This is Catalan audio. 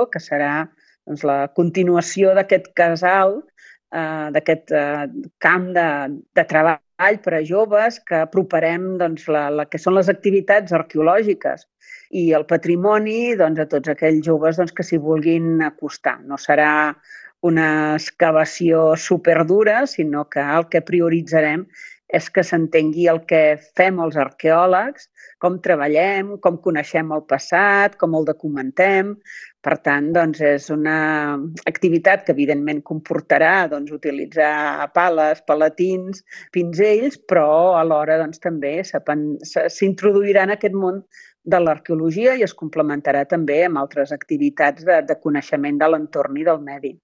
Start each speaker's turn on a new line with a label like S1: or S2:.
S1: que serà doncs, la continuació d'aquest casal, d'aquest camp de treball per a joves que aproparem doncs, la que són les activitats arqueològiques i el patrimoni doncs, a tots aquells joves doncs, que s'hi vulguin acostar. No serà una excavació superdura, sinó que el que prioritzarem és que s'entengui el que fem els arqueòlegs, com treballem, com coneixem el passat, com el documentem. Per tant, doncs, és una activitat que evidentment comportarà doncs, utilitzar pales, palatins, pinzells, però alhora doncs, també s'introduirà en aquest món de l'arqueologia i es complementarà també amb altres activitats de coneixement de l'entorn i del medi.